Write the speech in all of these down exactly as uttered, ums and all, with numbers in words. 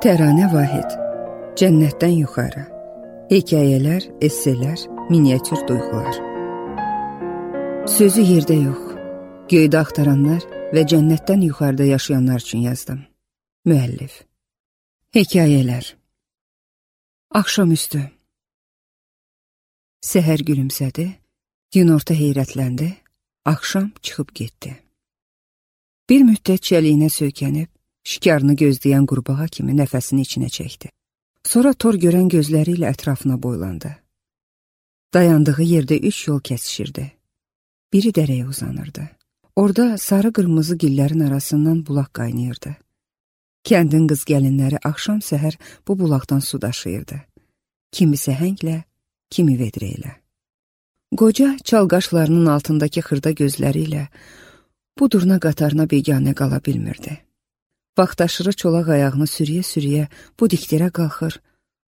Təranə Vahid, Cənnətdən yuxarı, hekayələr, esselər, miniatür duyğular. Sözü yerdə yox, göydə axtaranlar və cənnətdən yuxarıda yaşayanlar üçün yazdım. Müəllif. Hekayələr. Axşamüstü. Səhər gülümsədi, günorta heyrətləndi, axşam çıxıb getdi. Bir müddət çəliyinə söykənib, şikarını gözləyən qurbağa kimi nəfəsini içinə çəkdi. Sonra tor görən gözləri ilə ətrafına boylandı. Dayandığı yerdə üç yol kəsişirdi. Biri dərəyə uzanırdı. Orada sarı-qırmızı gillərin arasından bulaq qaynayırdı. Kəndin qız gəlinləri axşam səhər bu bulaqdan su daşıyırdı. Kimi səhənglə, kimi vedrə ilə. Qoca çalqaşlarının altındakı xırda gözləri ilə bu durna qatarına beganə qala bilmirdi. Vaxtaşırı çolaq ayağını sürüyə-sürüyə bu dikdirə qalxır,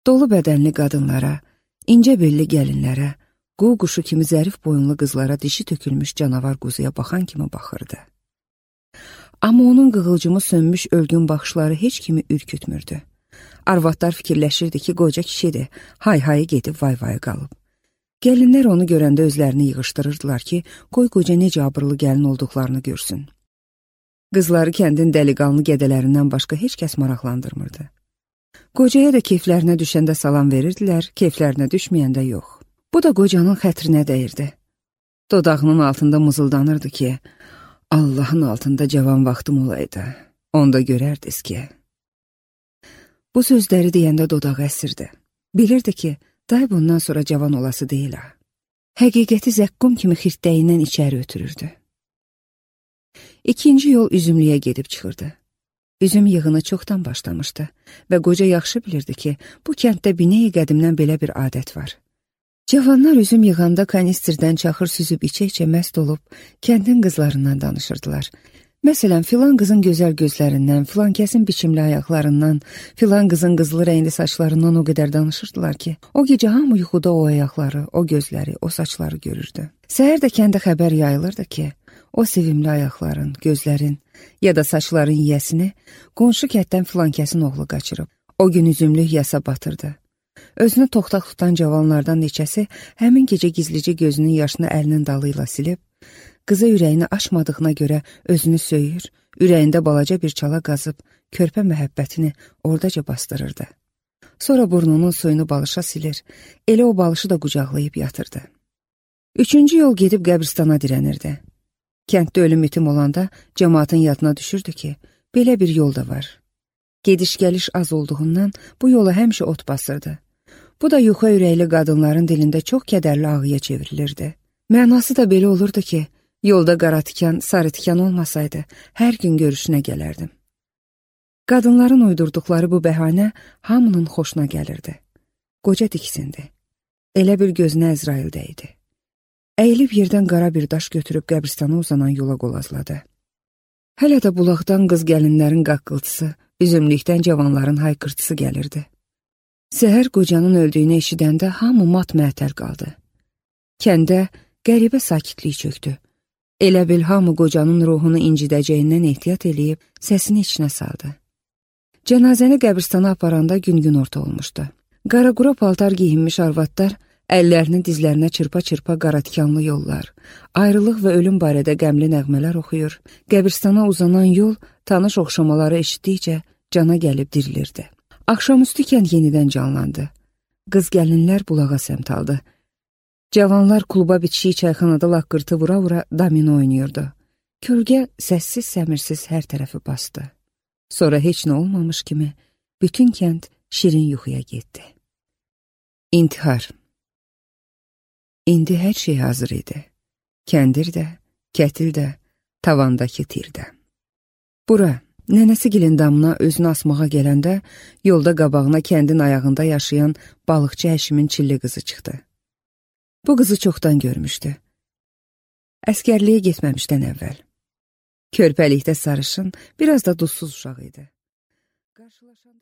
dolu bədənli qadınlara, incə belli gəlinlərə, qu quşu kimi zərif boyunlu qızlara dişi tökülmüş canavar quzuya baxan kimi baxırdı. Amma onun qığılcımı sönmüş ölgün baxışları heç kimi ürkütmürdü. Arvadlar fikirləşirdi ki, qoca kişidir, hay-hayı gedib vay-vayı qalıb. Gəlinlər onu görəndə özlərini yığışdırırdılar ki, qoy qoca necə abırlı gəlin olduqlarını görsün. Qızları kəndin dəliqanlı gədələrindən başqa heç kəs maraqlandırmırdı. Qocaya da keyflərinə düşəndə salam verirdilər, keyflərinə düşməyəndə yox. Bu da qocanın xətrinə dəyirdi. Dodağının altında mızıldanırdı ki, Allahın altında cavan vaxtım olaydı, onda görərdiniz ki. Bu sözləri deyəndə dodağı əsirdi. Bilirdi ki, day bundan sonra cavan olası deyil ha. Həqiqəti zəqqum kimi xirtdəyindən içəri ötürürdü. İkinci yol üzümlüyə gedib çıxırdı. Üzüm yığını çoxdan başlamışdı və qoca yaxşı bilirdi ki, bu kənddə bineyi qədimdən belə bir adət var. Cavanlar üzüm yığanda kanistirdən çaxır süzüb içə-içə məst olub, kəndin qızlarından danışırdılar. Məsələn, filan qızın gözəl gözlərindən, filan kəsin biçimli ayaqlarından, filan qızın qızılı rəngli saçlarından o qədər danışırdılar ki, o gecə hamı yuxuda o ayaqları, o gözləri, o saçları görürdü. Səhər də kəndə xəbər yayılırdı ki, o sevimli ayaqların, gözlərin ya da saçların yiyəsini qonşu kənddən filan kəsin oğlu qaçırıb. O gün üzümlük yasa batırdı. Özünü toxtaq tutan cavanlardan neçəsi həmin gecə gizlicə gözünün yaşını əlinin dalı ilə silib, qıza ürəyini açmadığına görə özünü söyür, ürəyində balaca bir çala qazıb, körpə məhəbbətini oradaca bastırırdı. Sonra burnunun suyunu balışa silir, elə o balışı da qucaqlayıb yatırdı. Üçüncü yol gedib qəbristana dirənirdi. Kənddə ölüm itim olanda cəmaatın yadına düşürdü ki, belə bir yol da var. Gediş-gəliş az olduğundan bu yola həmişə ot basırdı. Bu da yuxa ürəkli qadınların dilində çox kədərli ağıya çevrilirdi. Mənası da belə olurdu ki, yolda qara tikan, sarı tikan olmasaydı, hər gün görüşünə gələrdim. Qadınların uydurduqları bu bəhanə hamının xoşuna gəlirdi. Qoca diksindi. Elə bir gözünə Əzrail dəydi. Əyilib yerdən qara bir daş götürüb qəbristana uzanan yola qolazladı. Hələ də bulaqdan qız gəlinlərin qaqqıltısı, üzümlükdən cavanların hayqırtısı gəlirdi. Səhər qocanın öldüyünü eşidəndə hamı mat-məətəl qaldı. Kəndə qəribə sakitlik çöktü. Elə bil hamı qocanın ruhunu incidəcəyindən ehtiyat eləyib səsini içinə saldı. Cənazəni qəbristana aparanda gün-gün orta olmuşdu. Qaraqura paltar giyinmiş arvadlar əllərini dizlərinə çırpa-çırpa qaratikanlı yollar, ayrılıq və ölüm barədə qəmli nəğmələr oxuyur, qəbristana uzanan yol tanış oxşamaları eşitdikcə cana gəlib dirilirdi. Axşamüstü kənd yenidən canlandı. Qız gəlinlər bulağa səmt aldı. Cavanlar kluba bitişik çayxanada laqqırtı vura-vura domino oynayırdı. Kölgə səssiz səmirsiz hər tərəfi bastı. Sonra heç nə olmamış kimi bütün kənd şirin yuxuya getdi. İntihar. İndi hər şey hazır idi. Kəndir də, kətil də, tavandakı tir də. Bura, nənəsigilin damına özünü asmağa gələndə, yolda qabağına kəndin ayağında yaşayan balıqçı Həşimin çilli qızı çıxdı. Bu qızı çoxdan görmüşdü. Əskərliyə getməmişdən əvvəl. Körpəlikdə sarışın, biraz da duzsuz uşaq idi. Qarşılaşanda